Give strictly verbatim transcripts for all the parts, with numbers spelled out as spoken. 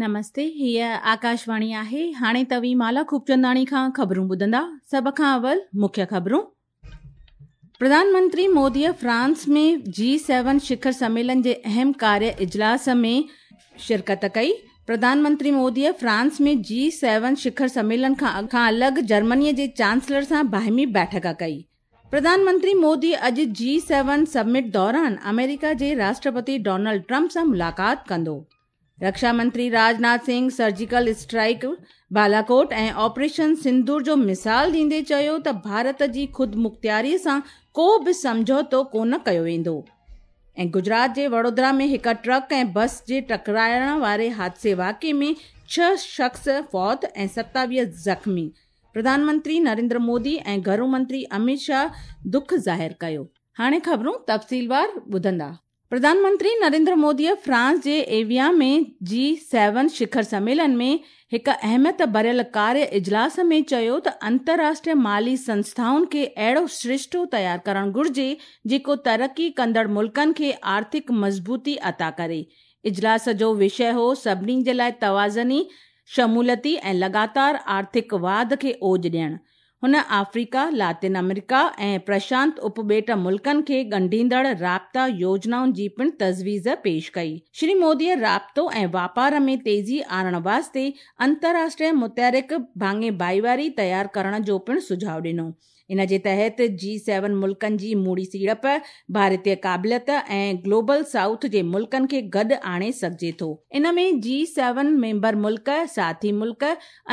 نمستي، هيء آڪاشواڻي آهي. هاڻي توهين مالا خوبچنداڻي کان خبرون ٻڌندا. سڀ کان اول مکيه خبرون. پرڌان منتري موديء فرانس ۾ جي سيون شکر سميلن جي اهم ڪاريه اجلاس ۾ شرڪت ڪئي. پرڌان منتري موديء فرانس ۾ جي سيون شکر سميلن کان الڳ جرمنيء جي چانسلر سان باهمي بيٺڪ ڪئي. پرڌان منتري مودي اڄ جي سيون سمٽ دوران آمريڪا جي راشٽرپتي ڊونلڊ ٽرمپ سان ملاقات ڪندو. رڪشا منتري Rajnath Singh surgical strike, Balakot ۽ operation sindoor جو مثال ڏيندي چيو ته ڀارت جي خودمختياري سان ڪو به سمجهوتو ڪونه ڪيو ويندو. ۽ گجرات جي وڊودرا ۾ هڪ ٽرڪ ۽ بس جي ٽڪرائڻ واري حادثي واقعي ۾ ڇهه شخص فوت ۽ ستاويهه زخمي. پرڌان منتري نريندر مودي ۽ گهرو منتري امت شاهه دک ظاهر ڪيو. هاڻي خبرون تفصيلوار ٻڌندا. پرڌان منتري نريندر موديء فرانس جي ايويان ۾ جي سيون شکر سميلن ۾ هڪ اهميت ڀريل ڪاريه اجلاس ۾ چيو ته انترراشٽريه مالي سنسٿائن کي اهڙو سرشتو تيار ڪرڻ گهرجي جيڪو ترقي ڪندڙ ملڪن کي آرٿڪ مضبوطي عطا ڪري. اجلاس جو وشيه هو سڀني جي لاءِ توازني، شموليتي ۽ لڳاتار آرٿڪ واڌ کي اوج ڏيڻ. هن آفريڪا، لاطين آمريڪا ۽ پرشانت اپٻيٽ ملڪن کي ڳنڍيندڙ رابطا يوجنائن جي پڻ تجويز پيش ڪئي. شري موديء رابطو ۽ واپار ۾ تيزي آڻڻ واسطي انترراشٽريه متحرڪ ڀاڱي ڀائيواري تيار ڪرڻ جو پڻ سجهاءُ ڏنو. ان جي تحت جي سيون ملڪن جي موڙي سيڙپ، ڀارتيه قابليت ۽ گلوبل سائوٿ جي ملڪن کي گڏ آڻي سگهجي ٿو. ان ۾ جي سيون ميمبر ملڪ، ساٿي ملڪ،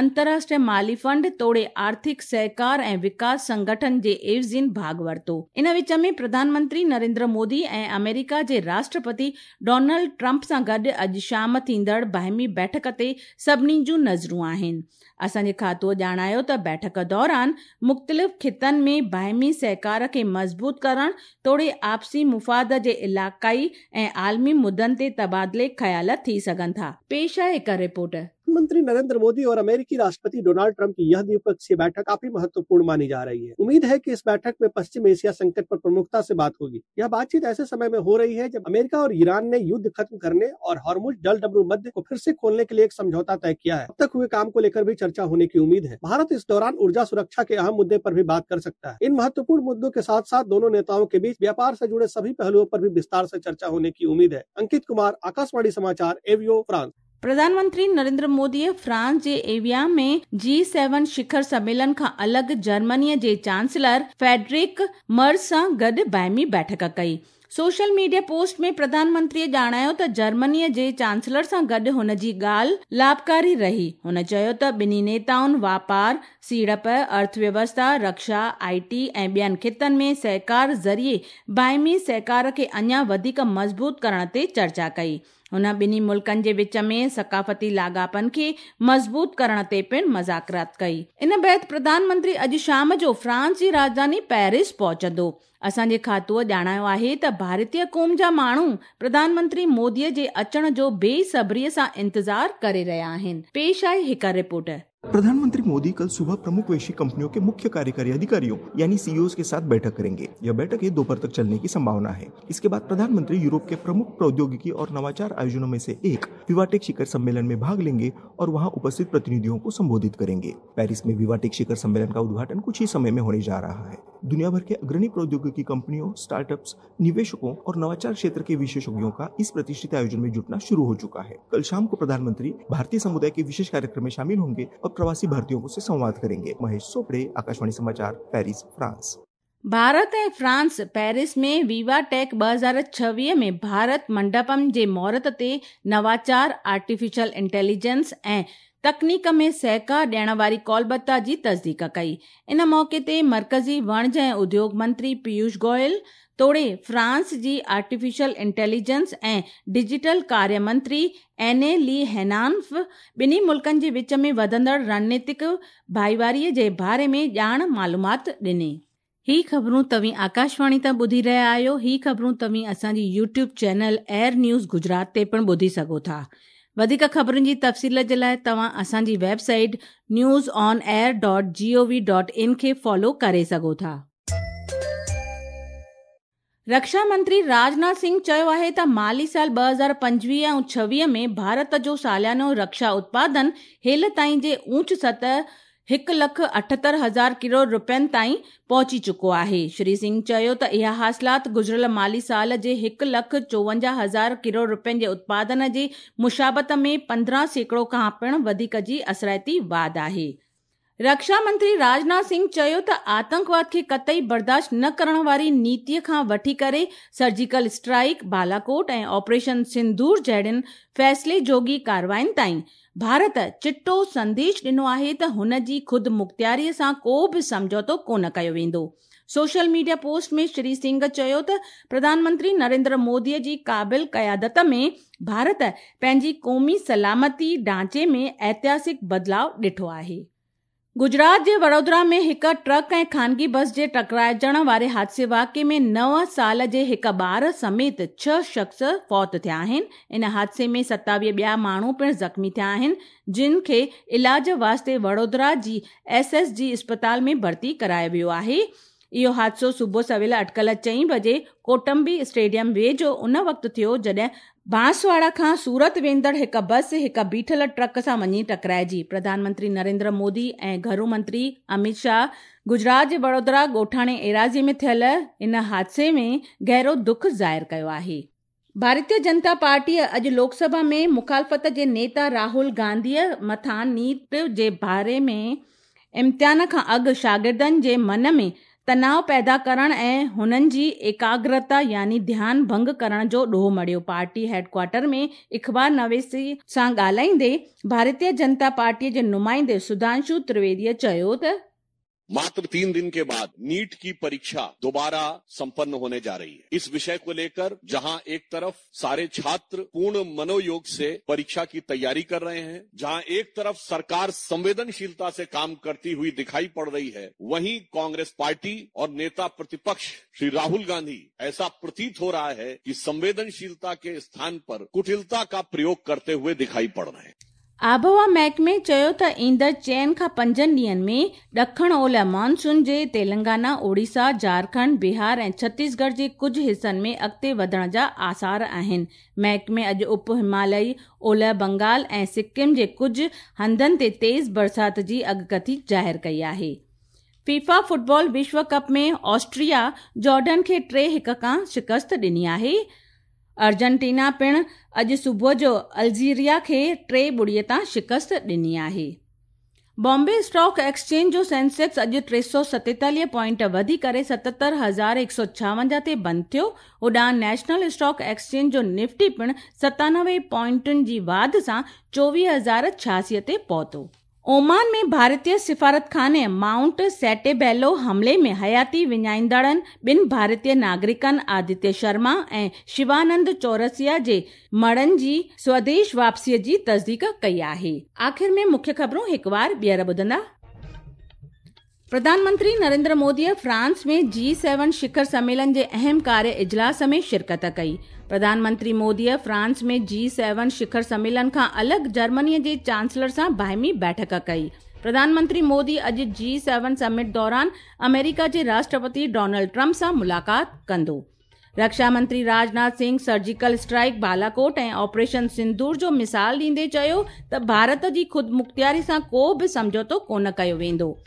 انترراشٽريه مالي فنڊ توڙي آرٿڪ سهڪار ۽ وڪاس سنگٺن جي عيوضين ڀاڳ ورتو. ان وچ ۾ پرڌان منتري نريندر مودي ۽ آمريڪا جي راشٽرپتي ڊونلڊ ٽرمپ سان گڏ اڄ شام ٿيندڙ باهمي بيٺڪ تي سڀني جون نظرون آهن. اسان جي کاتوءَ ڄاڻايو ته بيٺڪ دوران مختلف خطن ۾ باهمي سهڪار کي مضبوط ڪرڻ توڙي آپسي مفاد جي علائقائي ۽ عالمي مدعن تي تبادلي خيال ٿي سگهن ٿا. پيش آهي هڪ رپورٽ. प्रधानमंत्री नरेंद्र मोदी और अमेरिकी राष्ट्रपति डोनाल्ड ट्रंप की यह द्विपक्षीय बैठक काफी महत्वपूर्ण मानी जा रही है। उम्मीद है कि इस बैठक में पश्चिम एशिया संकट पर प्रमुखता से बात होगी। यह बातचीत ऐसे समय में हो रही है जब अमेरिका और ईरान ने युद्ध खत्म करने और हॉर्मुज जलडमरू मध्य को फिर से खोलने के लिए एक समझौता तय किया है। अब तक हुए काम को लेकर भी चर्चा होने की उम्मीद है। भारत इस दौरान ऊर्जा सुरक्षा के अहम मुद्दे पर भी बात कर सकता है। इन महत्वपूर्ण मुद्दों के साथ साथ दोनों नेताओं के बीच व्यापार से जुड़े सभी पहलुओं पर भी विस्तार से चर्चा होने की उम्मीद है। अंकित कुमार, आकाशवाणी समाचार, एवियो, फ्रांस। प्रधानमंत्री नरेंद्र मोदीअ फ्रांस जे एविया में जी सेवन शिखर सम्मेलन खां अलॻि जर्मनीअ जे चांसलर फेडरिक मर्ज सां गॾु बाहिमी बैठक कई। सोशल मीडिया पोस्ट में प्रधानमंत्रीअ ॼाणायो त जर्मनीअ जे चांसलर सां गॾु हुन जी ॻाल्हि लाभकारी रही। हुन चयो त ॿिन्ही नेताउनि वापार, सीड़प, अर्थव्यवस्था, रक्षा, I T ऐं ॿियनि ख़ितनि में सहकार ज़रिए बाहिमी सहकार खे अञा वधीक मज़बूत करण ते चर्चा कई। हुन ॿिन्ही मुल्कनि जे विच में सकाफ़ती लाॻापनि खे मज़बूत करण ते पिणु मज़ाकरात कई। इन बाद प्रधानमंत्री अॼु शाम जो फ्रांस जी राजधानी पेरिस पहुचंदो। असांजे खातूअ ॼाणायो आहे त भारतीय क़ौम जा माण्हू प्रधानमंत्री मोदीअ जे अचण जो बेसब्रीअ सां इंतज़ार करे रहिया आहिनि। पेश आहे हिकु रिपोर्ट। प्रधानमंत्री मोदी कल सुबह प्रमुख वैश्विक कंपनियों के मुख्य कार्यकारी अधिकारियों यानी सीईओ के साथ बैठक करेंगे। यह बैठक दोपहर तक चलने की संभावना है। इसके बाद प्रधानमंत्री यूरोप के प्रमुख प्रौद्योगिकी और नवाचार आयोजनों में से एक विवाटेक शिखर सम्मेलन में भाग लेंगे और वहां उपस्थित प्रतिनिधियों को संबोधित करेंगे। पेरिस में विवाटेक शिखर सम्मेलन का उद्घाटन कुछ ही समय में होने जा रहा है। दुनिया भर के अग्रणी प्रौद्योगिकी कंपनियों, स्टार्टअप्स, निवेशकों और नवाचार क्षेत्र के विशेषज्ञों का इस प्रतिष्ठित आयोजन में जुटना शुरू हो चुका है। कल शाम को प्रधानमंत्री भारतीय समुदाय के विशेष कार्यक्रम में शामिल होंगे और प्रवासी भारतीयों से संवाद करेंगे। महेश सोपड़े, आकाशवाणी समाचार, पेरिस, फ्रांस। भारत ऐं फ्रांस पेरिस में वीवा टेक ॿ हज़ार छवीह में भारत मंडपम जे मुहूर्त ते नवाचार, आर्टिफिशियल इंटेलिजेंस ऐं तकनीक में सहकार ॾियण वारी कौलबता जी तस्दीक कई। इन मौक़े ते मर्कज़ी वणज ऐं उद्योग मंत्री पीयूष गोयल तोड़े फ्रांस जी आर्टिफिशियल इंटेलिजेंस ऐं डिजिटल कार्य मंत्री एने ली हेनान्फ ॿिन्ही मुल्कनि जे विच में वधंदड़ रणनीतिक भाईवारीअ जे बारे में ॼाण मालूमात ॾिनी। ही ख़बरूं तव्हीं आकाशवाणी तां ॿुधी रहिया आहियो। ही ख़बरूं तव्हीं असांजी YouTube channel Air News Gujarat ते पिणु ॿुधी सघो था। वधीक ख़बरुनि जी तफ़सील जे लाइ तव्हां असांजी website news on air dot G O V dot in खे फॉलो करे सघो था। रक्षा मंत्री राजनाथ सिंह चयो आहे त माली साल ٻه هزار پنجويهه ऐं ڇويهه में भारत जो सालानो रक्षा उत्पादन हेल ताईं जे ऊंच सतह हिकु लख अठहतरि हज़ार करोड़ रुपयनि ताईं पहुची चुको आहे। श्री सिंह चयो त इहा हासिलात गुज़िरियल माली साल जे हिकु लख चोवंजाह हज़ार करोड़ रुपयनि जे उत्पादन जे मुशाबत में पंद्रहं सैकड़ो खां पिणु वधीक जी असराइती वाध आहे। रक्षा मंत्री राजनाथ सिंह चयो त आतंकवाद खे कतई बर्दाश्त न करण वारी नीतीअ खां वठी करे सर्जिकल स्ट्राइक, बालाकोट ऐं ऑपरेशन सिंदूर जहिड़ियुनि फ़ैसिले जोगी कार्रवाइयुनि ताईं भारत चिटो संदेश ॾिनो आहे त हुन जी ख़ुदि मुख़्तियारीअ सां को बि सम्झौतो कोन कयो वेंदो। सोशल मीडिया पोस्ट में श्री सिंह चयो त प्रधानमंत्री नरेंद्र मोदीअ जी क़ाबिल क़यादत में भारत पंहिंजी क़ौमी सलामती ढांचे में ऐतिहासिक बदिलाव ॾिठो आहे। गुजरात जे वडोदरा में हिकु ट्रक ऐं खानगी बस जे टकराइजण वारे हादसे वाक़िए में नव साल जे हिकु ॿार समेत छह शख़्स फौत थिया आहिनि। इन हादसे में सतावीह ॿिया माण्हू पिणु ज़ख़्मी थिया आहिनि, जिन खे इलाज वास्ते Vadodara G S S G अस्पताल में भर्ती करायो वियो आहे। इहो हादसो सुबुह सवेल अटकल चई बजे कोटंबी स्टेडियम वेझो उन वक़्तु थियो जॾहिं बांसवाड़ा खां सूरत वेंदड़ हिकु बस हिकु बीठल ट्रक सां वञी टकराइजी। प्रधानमंत्री नरेंद्र मोदी ऐं घरू मंत्री अमित शाह गुजरात जे वडोदरा ॻोठाणे एराज़ी में थियल इन हादसे में गहरो दुख ज़ाहिर कयो आहे। भारतीय जनता पार्टी अॼु लोकसभा में मुखालफ़त जे नेता राहुल गांधीअ मथां नीट जे बारे में इम्तिहान खां अॻु शागिर्दनि जे मन में तनाव पैदा करण ऐं हुननि जी एकाग्रता यानी ध्यान भंग करण जो ॾोह मढ़ियो। पार्टी हेडक्वार्टर में अख़बार नवेसी सां ॻाल्हाईंदे भारतीय जनता पार्टीअ जे नुमाइंदे सुधांशु त्रिवेदीअ चयो त मात्र तीन दिन के बाद नीट की परीक्षा दोबारा संपन्न होने जा रही है। इस विषय को लेकर जहां एक तरफ सारे छात्र पूर्ण मनोयोग से परीक्षा की तैयारी कर रहे हैं, जहां एक तरफ सरकार संवेदनशीलता से काम करती हुई दिखाई पड़ रही है, वहीं कांग्रेस पार्टी और नेता प्रतिपक्ष श्री राहुल गांधी ऐसा प्रतीत हो रहा है कि संवेदनशीलता के स्थान पर कुटिलता का प्रयोग करते हुए दिखाई पड़ रहे हैं। आबहवा महकमे चयो त ईंदड़ चइनि खां पंजनि ॾींहंनि में ॾखण ओलह मानसून जे तेलंगाना, ओडिशा, झारखंड, बिहार ऐं छत्तीसगढ़ जे कुझु हिसनि में अॻिते वधण जा आसार आहिनि। महकमे अॼु उप हिमालयी ओलह बंगाल ऐं सिक्किम जे कुझु हंधनि ते तेज़ बरसाति जी अॻकथी ज़ाहिर कई आहे। फीफा फुटबॉल विश्व कप में ऑस्ट्रिया जॉर्डन खे टे हिकु खां शिकस्त ॾिनी आहे। अर्जेंटीना पिणु अॼु सुबुह जो अल्जीरिया खे टे ॿुड़ीअ तां शिकस्त ॾिनी आहे। बॉम्बे स्टॉक एक्सचेंज जो सेंसेक्स अॼु टे सौ सतेतालीह पॉइंट वधी करे सतहतरि हज़ार हिकु सौ छावंजाह ते बंदि थियो। होॾां नेशनल स्टॉक एक्सचेंज जो निफ्टी पिणु सतानवे पॉइंटुनि जी वाध सां चोवीह हज़ार छियासीअ ते पहुतो। ओमान में भारतीय सिफारतखाने माउंट सेटेबेलो हमले में हयाती विञाईंदड़नि ॿिनि भारतीय नागरिकनि आदित्य शर्मा ऐं शिवानंद चौरसिया जे मड़नि जी स्वदेश वापसीअ जी तस्दीक कई आहे। आख़िर में मुख्य ख़बरूं हिकु बार ॿीहर ॿुधंदा। प्रधानमंत्री नरेंद्र मोदीअ फ्रांस में जी सेवन शिखर सम्मेलन जे अहम कार्य इजलास में शिरकत कई। प्रधानमंत्री मोदीअ फ्रांस में जी सेवन शिखर सम्मेलन खां अलॻि जर्मनीअ जे चांसलर सां बाहिमी बैठक कई। प्रधानमंत्री मोदी अॼु जी सेवन समिट दौरान अमेरिका जे राष्ट्रपति डोनाल्ड ट्रंप सां मुलाक़ात कंदो। रक्षा मंत्री राजनाथ सिंह सर्जिकल स्ट्राइक, बालाकोट ऐं ऑपरेशन सिंदूर जो मिसाल ॾींदे चयो त भारत जी ख़ुदि मुख़्तियारी सां को बि सम्झौतो कोन कयो वेंदो।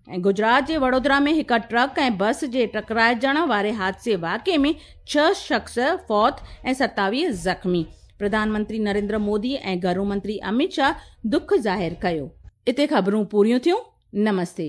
ऐं गुजरात जे वडोदरा में हिकु ट्रक ऐं बस जे टकराइजण वारे हादसे वाक़िए में छह शख़्स फौत ऐं सतावीह ज़ख़्मी। प्रधानमंत्री नरेंद्र मोदी ऐं घरू मंत्री अमित शाह दुख ज़ाहिर कयो। इते ख़बरूं पूरियूं थियूं। नमस्ते।